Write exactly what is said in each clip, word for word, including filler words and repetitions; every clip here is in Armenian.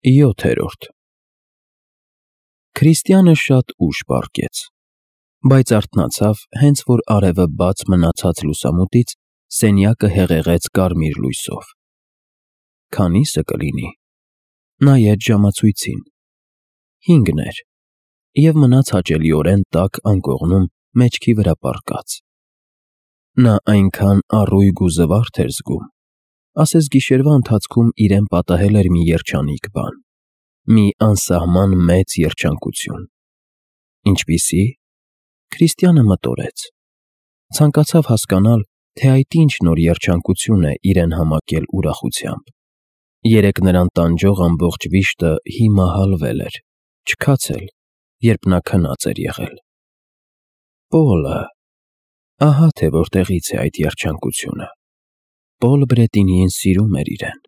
յոթերորդ Քրիստիանը շատ ուշ պառկեց, բայց արթնացավ, հենց որ արևը բաց մնացած լուսամուտից սենյակը հեղեղեց կարմիր լույսով։ Քանի՞սը կլինի։ Նայեց ժամացույցին։ Հինգն էր, և մնաց հաճելիորեն տաք անկողնում մեջքի վրա պառկած։ Նա այնքան առույգ ու զվարթ էր զգում, ասես գիշերվա ընթացքում իրեն պատահել էր մի երջանիկ բան, մի անսահման մեծ երջանկություն։ Ինչպիսի՞։ Քրիստիանը մտորեց։ Ցանկացավ հասկանալ, թե այդ ինչ նոր երջանկություն է իրեն համակել ուրախությամբ։ Երեկ նրան տանջող ամբողջ վիշտը հիմա հալվել էր, չքացել, երբ նա քնած էր եղել։ Պոլը… Ահա թե որտեղից է այդ երջանկությունը։ Պոլ Բրետինիին սիրում էր իրեն։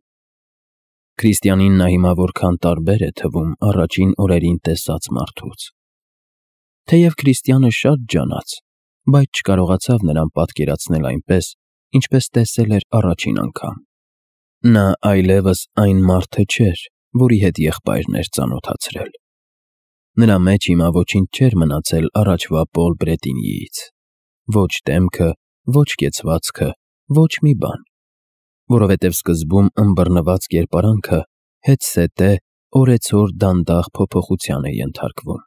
Քրիստիանին նա հիմա որքան տարբեր է թվում առաջին օրերին տեսած մարդուց։ Թեև Քրիստիանը շատ ջանաց, բայց չկարողացավ նրան պատկերացնել այնպես, ինչպես տեսել էր առաջին անգամ։ Նա այլևս այն մարդը չէր, որի հետ եղբայրն էր ծանոթացրել։ Նրա մեջ հիմա ոչինչ չէր մնացել առաջվա Պոլ Բրետինիից։ Ոչ դեմքը, ոչ կեցվածքը, ոչ մի բան։ Որովհետև սկզբում ըմբռնված կերպարանքը հետզհետե օրեցօր դանդաղ փոփոխության է ենթարկվում։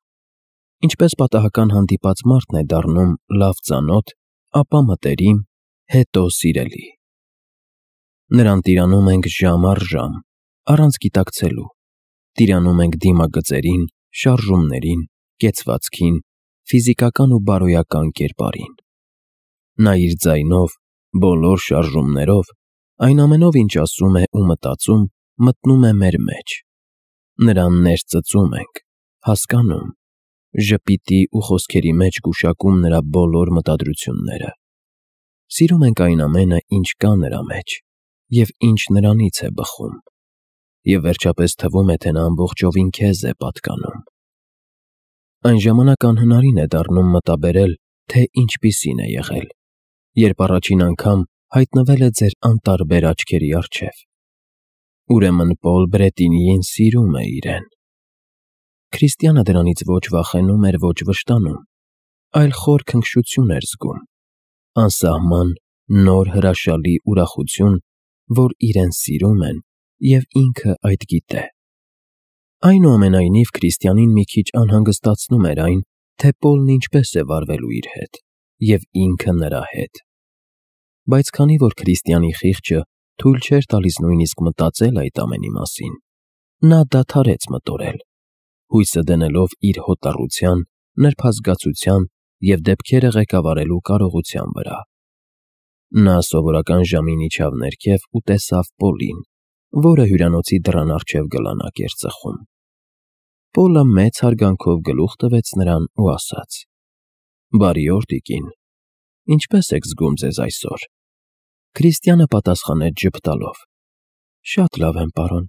Ինչպես պատահական հանդիպած մարդն է դառնում լավ ծանոթ, ապա մտերիմ, հետո սիրելի։ Նրան տիրանում ենք ժամ առ ժամ, առանց գիտակցելու։ Տիրանում ենք դիմագծերին, շարժումներին, կեցվածքին, ֆիզիկական ու բարոյական կերպարին։ Նա իր ձայնով, բոլոր շարժումներով, այն ամենով, ինչ ասում է ու մտածում, մտնում է մեր մեջ։ Նրան ներծծում ենք, հասկանում, ժպիտի ու խոսքերի մեջ գուշակում նրա բոլոր մտադրությունները։ Սիրում ենք այն ամենը, ինչ կա նրա մեջ, և ինչ նրանից է բխում, և վերջապես թվում է, թե նա ամբողջովին քեզ է պատկանում։ Այն ժամանակ անհնարին է դառնում մտաբերել, թե ինչպիսին է եղել, երբ առաջին անգամ հայտնվել է ձեր անտարբեր աչքերի առջև։ Ուրեմն Պոլ Բրետինիին սիրում է իրեն։ Քրիստիանը դրանից ոչ վախենում էր, ոչ վշտանում, այլ խոր քնքշություն էր զգում, անսահման, նոր հրաշալի ուրախություն, որ իրեն սիրում են, և ինքը այդ գիտե։ Այնուամենայնիվ Քրիստիանին մի քիչ անհանգստացնում էր այն, թե Պոլն ինչպես է վարվելու իր հետ, և ինքը նրա հետ։ Բայց քանի որ Քրիստիանի խիղճը թույլ չէր տալիս նույնիսկ մտածել այդ ամենի մասին, նա դադարեց մտորել, հույսը դնելով իր հոտառության, նրբազգացության և դեպքերը ղեկավարելու կարողության վրա։ Նա սովորական ժամին իջավ ներքև ու տեսավ Պոլին, որը հյուրանոցի դռան առջև գլանակ էր ծխում։ Պոլը մեծ հարգանքով գլուխ տվեց նրան ու ասաց. «Բարի օր, տիկին, ինչպե՞ս եք զգում ձեզ այսօր»։ Քրիստիանը պատասխանեց ժպտալով. «Շատ լավ եմ, պարոն,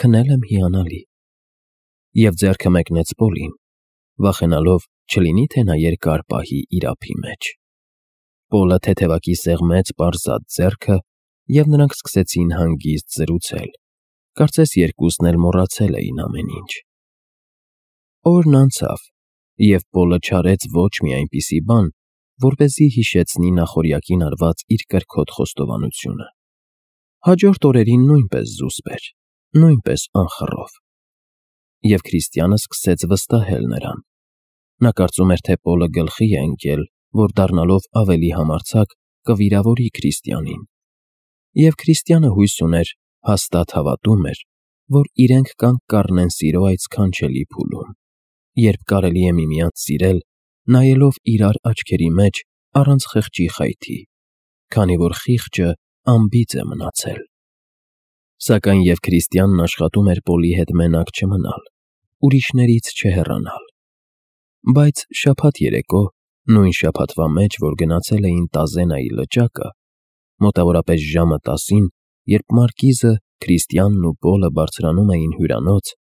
քնել եմ հիանալի»։ Եվ ձեռքը մեկնեց Պոլին, վախենալով, չլինի թե նա երկար պահի իր ափի մեջ։ Պոլը թեթևակի սեղմեց պարզած ձեռքը, և նրանք սկսեցին հանգիստ զրուցել, կարծես երկուսն էլ մոռացել էին ամեն ինչ։ Օրն անցավ, և Պոլը չարեց ոչ մի այնպիսի բան, որպեսզի հիշեցնի նախօրյակին արված իր կրքոտ խոստովանությունը։ Հաջորդ օրերին նույնպես զուսպ էր, նույնպես անխռով։ Եվ Քրիստիանը սկսեց վստահել նրան։ Նա կարծում էր, թե Պոլը գլխի է ընկել, որ դառնալով ավելի համարձակ կվիրավորի Քրիստիանին։ Եվ Քրիստիանը հույս ուներ, հաստատ հավատում էր, որ իրենք կանգ կառնեն սիրո այդ սքանչելի փուլում, երբ կարելի է միմյանց սիրել, նայելով իրար աչքերի մեջ առանց խղճի խայթի, քանի որ խիղճը անբիծ է մնացել։ Սակայն և Քրիստիանն աշխատում էր Պոլի հետ մենակ չմնալ, ուրիշներից չհեռանալ։ Բայց շաբաթ երեկո, նույն շաբաթվա մեջ, որ գնացել էին Տազենայի լճակը, մոտավորապես ժամը տասին, երբ Մարկիզը, Քրիստիանն ու Պոլը բարձրանում էին հյուրանոց,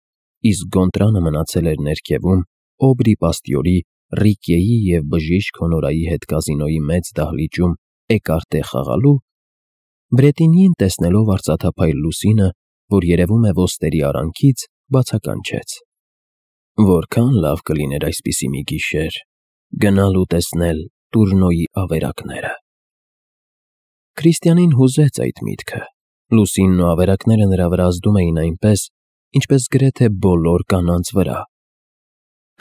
իսկ Գոնտրանը մնացել էր ներքևում Օբրի պաստյորի, Ռիկիեի և բժիշկ Հոնորայի հետ կազինոյի մեծ դահլիճում էկարտե խաղալու, Բրետինիին տեսնելով արծաթափայլ լուսինը, որ երևում է ոստերի արանքից, բացականչեց. որքան լավ կլիներ այսպիսի մի գիշեր գնալ ու տեսնել Տուրնոյի ավերակները։ Քրիստիանին հուզեց այդ միտքը։ Լուսինն ու ավերակները նրա վրա ազդում էին այնպես, ինչպես գրեթե բոլոր կանանց վրա։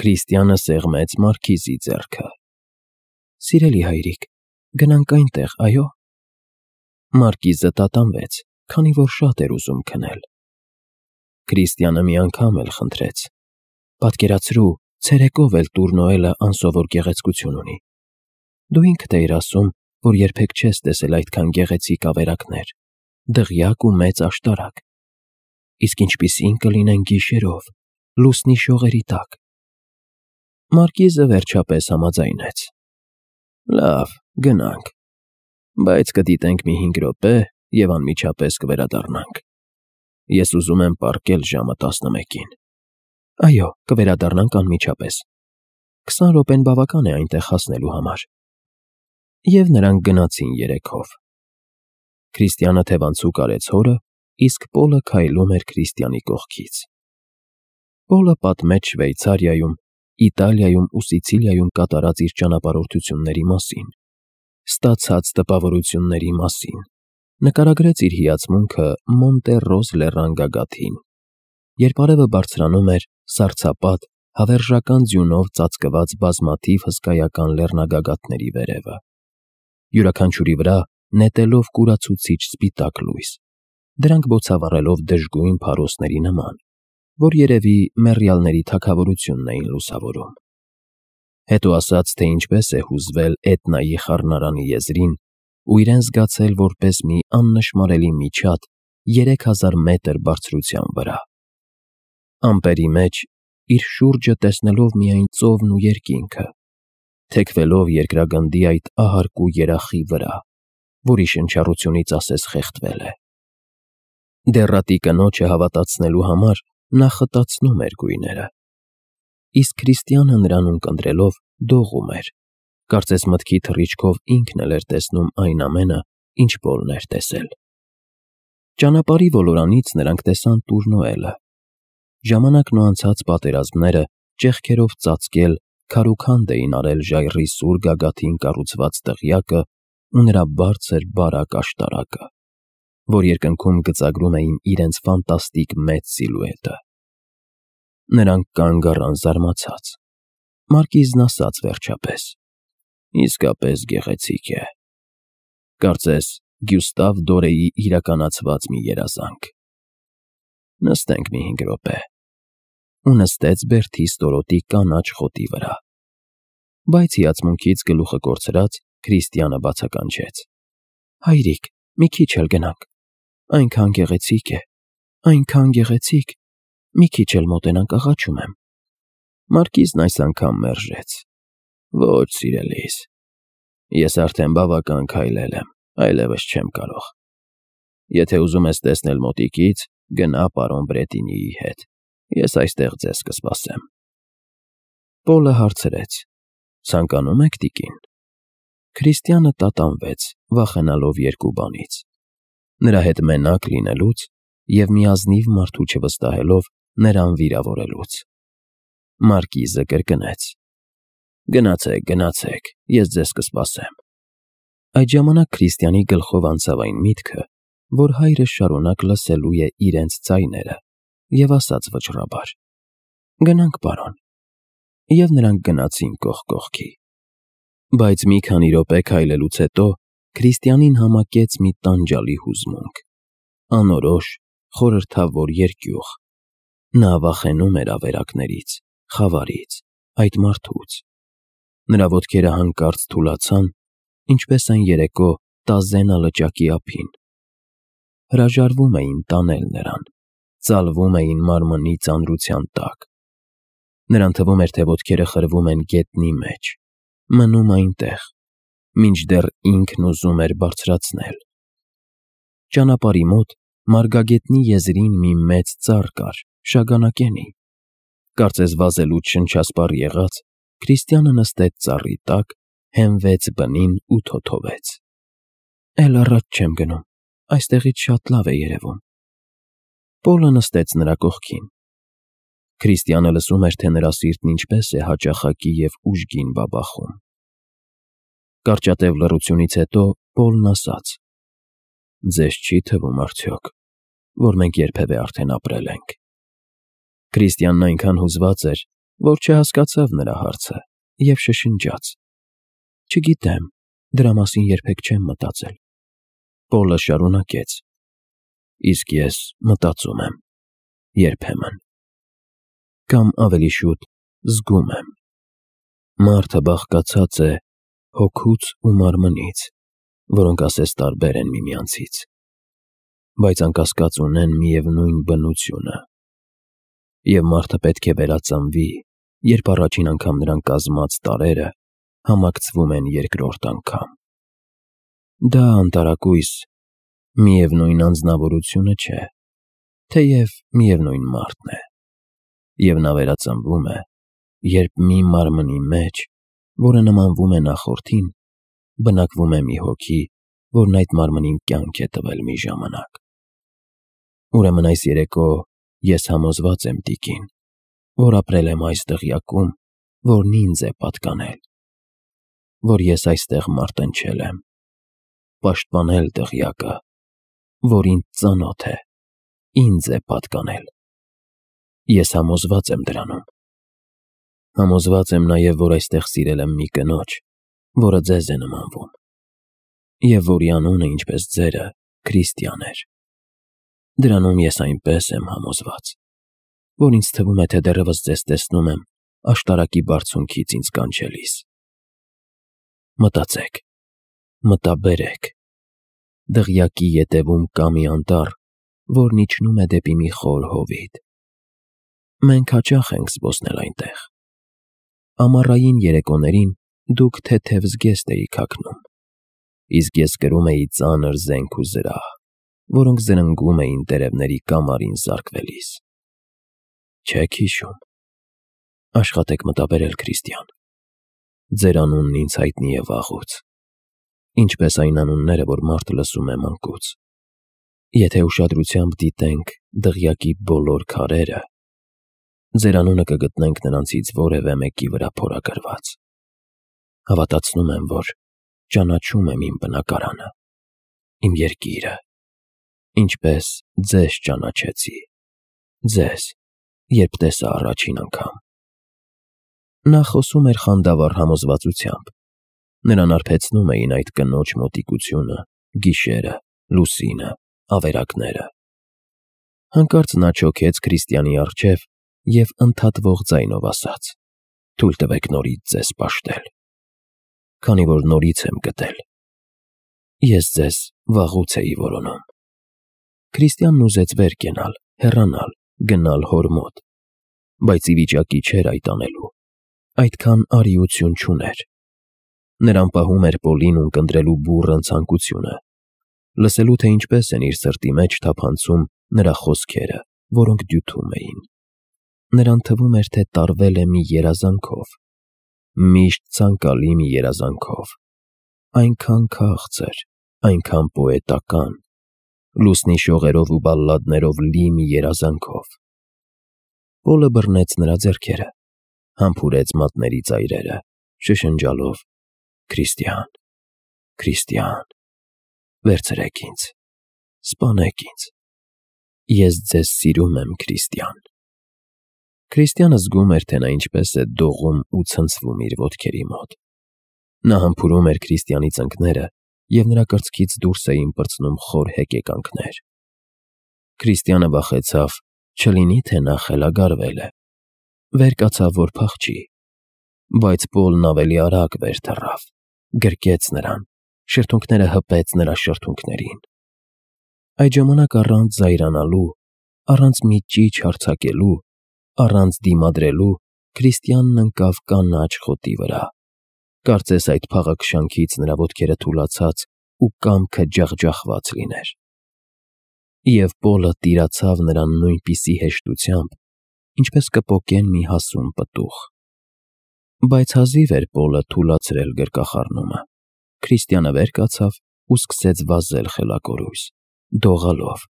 Քրիստիանը սեղմեց Մարգիզի ձեռքը։ Սիրելի հայրիկ, գնանք այնտեղ, այո։ Մարգիզը տատանվեց, քանի որ շատ էր ուզում քնել։ Քրիստիանը մի անգամ էլ խնդրեց. պատկերացրու, ցերեկով էլ Տուրնոելը անսովոր գեղեցկություն ունի։ Դու ինքդ էիր ասում, որ երբեք չես տեսել այդքան գեղեցիկ ավերակներ, դղյակ ու մեծ աշտարակ։ Իսկ ինչպիսին կլինեն գիշերով, լուսնի շողերի տակ։ Մարգիզը վերջապես համաձայնեց. լավ, գնանք, բայց կդիտենք մի հինգ րոպե և անմիջապես կվերադառնանք։ Ես ուզում եմ պառկել ժամը տասնմեկին։ Այո, կվերադառնանք անմիջապես։ Քսան րոպեն բավական է այնտեղ հասնելու համար։ Եվ նրանք գնացին երեքով։ Քրիստիանը թևանցուկ արեց հորը, իսկ Պոլը քայլում էր Քրիստիանի կողքից։ Պոլը պատմեց Շվեյցարիայում, Իտալիայում ու Սիցիլիայում կատարած իր ճանապարհորդությունների մասին, ստացած տպավորությունների մասին, նկարագրեց իր հիացմունքը Մոնտերոս լեռան գագաթին, երբ արևը բարձրանում էր սառցապատ, հավերժական ձյունով ծածկված բազմաթիվ հսկայական լեռնագագաթների վերևը, յուրաքանչյուրի վրա նետելով կուրացուցիչ սպիտակ լույս, դրանք բոցավառելով դժգույն փարոսների նման, որ երևի մեռյալների թագավորությունն էին լուսավորում։ Հետո ասաց, թե ինչպես է հուզվել Էտնայի խառնարանի եզրին ու իրեն զգացել որպես մի աննշմարելի միջատ երեք հազար մետր բարձրության վրա։ Ամպերի մեջ իր շուրջը տեսնելով միայն ծովն ու երկինքը, թեքվելով երկրագնդի այդ ահարկու երախի վրա, որի շնչառությունից ասես խեղդվել է։ Դեռատի կնոջը հավատացնելու համար նա խտացնում էր գույները։ Իսկ Քրիստիանը նրան ունկնդրելով դողում էր, կարծես մտքի թռիչքով ինքն էլ էր տեսնում այն ամենը, ինչ Պոլն էր տեսել։ Ճանապարհի ոլորանից նրանք տեսան Տուրնոելը։ Ժամանակն ու անցած պատերազմները ճեղքերով ծածկել քարուքանդ էին արել ժայռի սուր գագաթին կառուցված դղյակը ու նրա բարձր բարակ աշտարակը, որ երկնքում գծագրում էին իրենց ֆանտաստիկ մեծ սիլուետը։ Նրանք կանգ առան զարմացած։ Մարգիզն ասաց վերջապես. իսկապես գեղեցիկ է։ Կարծես Գյուստավ Դորեի իրականացված մի երազանք։ Նստենք մի հինգ րոպե։ Ու նստեց բերդի ստորոտի կանաչ խոտի վրա։ Բայց հիացմունքից գլուխը կորցրած Քրիստիանը բացականչեց. հայրիկ, մի քիչ էլ գնանք։ Այնքան գեղեցիկ է, այնքան գեղեցիկ, մի քիչ էլ մոտենանք, աղաչում եմ։ Մարգիզն այս անգամ մերժեց. ոչ, սիրելիս, ես արդեն բավական քայլել եմ, այլևս չեմ կարող։ Եթե ուզում ես տեսնել մոտիկից, գնա պարոն Բրետինիի հետ, ես այստեղ ձեզ կսպասեմ։ Պոլը հարցրեց. ցանկանում եք, տիկին։ Քրիստիանը տատանվեց, վախենալով երկու բանից. նրա հետ մենակ լինելուց և մի ազնիվ մարդու չվստահելով նրան վիրավորելուց։ Մարգիզը կրկնեց. գնացեք, գնացեք, ես ձեզ կսպասեմ։ Այդ ժամանակ Քրիստիանի գլխով անցավ այն միտքը, որ հայրը շարունակ լսելու է իրենց ձայները, և ասաց վճռաբար. գնանք, պարոն։ Եվ նրանք գնացին կողք կողքի։ Բայց մի քանի րոպե քայլելուց հետո Քրիստիանին համակեց մի տանջալի հուզմունք, անորոշ, խորհրդավոր երկյուղ։ Նա վախենում էր ավերակներից, խավարից, այդ մարդուց։ Նրա ոտքերը հանկարծ թուլացան, ինչպես այն երեկո Տազենա լճակի ափին։ Հրաժարվում էին տանել նրան, ծալվում էին մարմնի ծանրության տակ։ Նրան թվում էր, թե ոտքերը խրվում են գետնի մեջ, մնում այնտեղ, մինչդեռ ինքն ուզում էր բարձրացնել։ Ճանապարհի մոտ մարգագետնի եզրին մի մեծ ծառ կար, շագանակենի։ Կարծես վազելուց շնչասպառ եղած, Քրիստիանը նստեց ծառի տակ, հենվեց բնին ու թոթովեց։ Էլ առաջ չեմ գնում, այստեղից շատ լավ է երևում։ Պոլը նստեց նրա կողքին, Քրիստիանը լսում էր, թե նրա սիրտն ինչպես է հաճախակի և ուժգին բաբախում։ Կարճատև լռությունից հետո Պոլն ասաց. «Ձեզ չի թվում արդյոք, որ մենք երբևէ արդեն ապրել ենք»։ Քրիստիանն այնքան հուզված էր, որ չհասկացավ նրա հարցը և շշնջաց. «Չգիտեմ, դրա մասին երբեք չեմ մտածել»։ Պոլը շարունակեց. «Իսկ ես մտածում եմ, երբեմն, կամ ավելի շուտ զգում եմ։ Մարդը բաղկացած է հոգուց ու մարմնից, որոնք ասես տարբեր են միմյանցից, բայց անկասկած ունեն միևնույն բնությունը։ Եվ մարդը պետք է վերածնվի, երբ առաջին անգամ նրան կազմած տարրերը համակցվում են երկրորդ անգամ։ Դա անտարակույս միևնույն անձնավորությունը չէ, թեև միևնույն մարդն է, և նա վերածնվում է, երբ մի մարմնի մեջ, որը նմանվում է նախորդին, բնակվում է մի հոգի, որն այդ մարմնին կյանք է տվել մի ժամանակ։ Ուրեմն այս երեկո ես համոզված եմ, տիկին, որ ապրել եմ այս դղյակում, որն ինձ է պատկանել, որ ես այստեղ մարտնչել եմ, պաշտպանել դղյակը, որ ինձ ծանոթ է, ինձ է պատկանել։ Ես համոզված եմ դրանում։ Համոզված եմ նաև, որ այստեղ սիրել եմ մի կնոջ, որը ձեզ է նմանվում, և որի անունը, ինչպես ձերը, Քրիստիան էր։ Դրանում ես այնպես եմ համոզված, որ ինձ թվում է, թե դեռևս ձեզ տեսնում եմ աշտարակի բարձունքից ինձ կանչելիս։ Մտածեք, մտաբերեք, դղյակի ետևում կա մի անտառ, որն իջնում է դեպի մի խոր հովիտ։ Մենք հաճախ ենք զբոսնել այնտեղ։ Ամառային երեկոներին դուք թեթև զգեստ էիք հագնում, իսկ ես կրում էի ծանր զենք ու զրահ, որոնք զրնգում էին տերևների կամարին զարկվելիս։ Չե՞ք հիշում։ Աշխատեք մտաբերել, Քրիստիան։ Ձեր անունն ինձ հայտնի է վաղուց, ինչպես այն անունները, որ մարդը լսում է մանկուց։ Եթե ուշադրությամբ դիտենք դղյակի բոլոր քարերը, ձեր անունը կգտնենք նրանցից որևէ մեկի վրա փորագրված։ Հավատացնում եմ, որ ճանաչում եմ իմ բնակարանը, իմ երկիրը, ինչպես ձեզ ճանաչեցի, ձեզ, երբ տեսա առաջին անգամ։ Նա խոսում էր խանդավառ համոզվածությամբ։ Նրան արբեցնում էին այդ կնոջ մոտիկությունը, գիշերը, լուսինը, ավերակները։ Հանկարծ նա չոքեց Քրիստիանի առջև և ընդհատվող ձայնով ասաց. «Թույլ տվեք նորից ձեզ պաշտել, քանի որ նորից եմ գտել։ Ես ձեզ վաղուց էի որոնում»։ Քրիստիանն ուզեց վեր կենալ, հեռանալ, գնալ հոր մոտ, բայց ի վիճակի չէր այդ անելու, այդքան արիություն չուներ։ Նրան պահում էր Պոլին ունկնդրելու բուռն ցանկությունը, լսելու, թե ինչպես են իր սրտի մեջ թափանցում նրա խոսքերը, որոնք դյութում էին։ Նրան թվում էր, թե տարվել է մի երազանքով, միշտ ցանկալի մի երազանքով, այնքան քաղցր, այնքան պոետական, լուսնի շողերով ու բալլադներով լի մի երազանքով։ Պոլը բռնեց նրա ձեռքերը, համբուրեց մատների ծայրերը, շշնջալով. «Քրիստիան, Քրիստիան, վերցրեք ինձ, սպանեք ինձ, ես ձեզ սիրում եմ, Քրիստիան»։ Քրիստիանը զգում էր, թե նա ինչպես է դողում ու ցնցվում իր ոտքերի մոտ։ Նա համբուրում էր Քրիստիանի ծնկները, և նրա կրծքից դուրս էին պրծնում խոր հեկեկանքներ։ Քրիստիանը վախեցավ, չլինի թե նա խելագարվել է։ Վեր կացավ, որ փախչի, բայց Պոլն ավելի արագ վեր թռավ, գրկեց նրան, շրթունքները հպեց նրա շրթունքներին։ Այդ ժամանակ առանց զայրանալու, առանց մի ճիչ հարձակելու, առանց դիմադրելու Քրիստիանն ընկավ կանաչ խոտի վրա։ Կարծես այդ փաղաքշանքից նրա ոտքերը թուլացած ու կամքը ջախջախված լիներ։ Եվ Պոլը տիրացավ նրան նույնպիսի հեշտությամբ, ինչպես կպոկեն մի հասուն պտուղ։ Բայց հազիվ էր Պոլը թուլացրել գրկախառնումը, Քրիստիանը վեր կացավ ու սկսեց վազել խելակորույս, դողալով,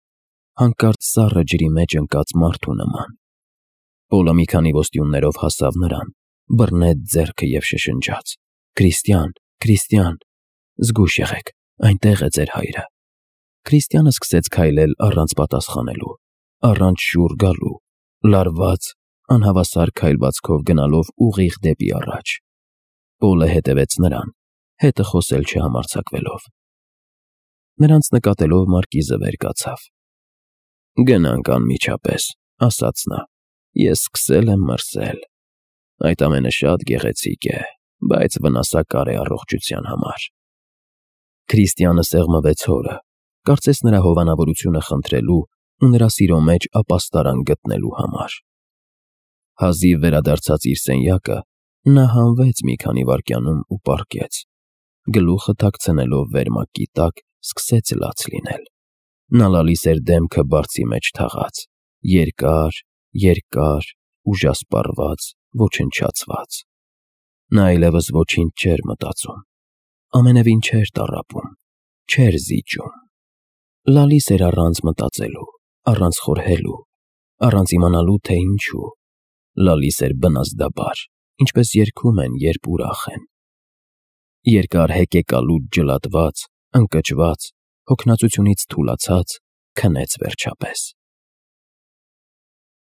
հանկարծ սառը ջրի մեջ ընկած մարդու նման։ Պոլը մի քանի ոստյուններով հասավ նրան, բռնեց ձեռքը և շշնջաց. «Քրիստիան, Քրիստիան, զգույշ եղեք, այնտեղ է ձեր հայրը»։ Քրիստիանը սկսեց քայլել առանց պատասխանելու, առանց շուռ գալու, լարված, անհավասար քայլվածքով գնալով ուղիղ դեպի առաջ։ Պոլը հետևեց նրան, հետը խոսել չհամարձակվելով։ Նրանց նկատելով Մարկիզը վեր կացավ։ «Գնանք անմիջապես», ասաց նա, «ես սկսել եմ մրսել։ Այդ ամենը շատ գեղեցիկ է, բայց վնասակար է առողջության համար»։ Քրիստիանը սեղմվեց հորը, կարծես նրա հովանավորությունը խնդրելու ու նրա սիրո մեջ ապաստարան գտնելու համար։ Հազիվ վերադարձած իր սենյակը, նա հանվեց մի քանի վայրկյանում ու պառկեց, գլուխը թաքցնելով վերմակի տակ, սկսեց լաց լինել։ Նա լալիս էր դեմքը բարձի մեջ թաղած, երկար, երկար, ուժասպառված, ոչնչացված։ Նա այլևս ոչինչ չէր մտածում, ամենևին չէր տառապում, չէր զիջում։ Լալիս էր առանց մտածելու, առանց խորհելու, առանց իմանալու, թե ինչու։ Լալիս էր բնազդաբար, ինչպես երգում են, երբ ուրախ են։ Երկար հեկեկալուց ջլատված, ընկճված, հոգնածությունից թուլացած, քնեց վերջապես։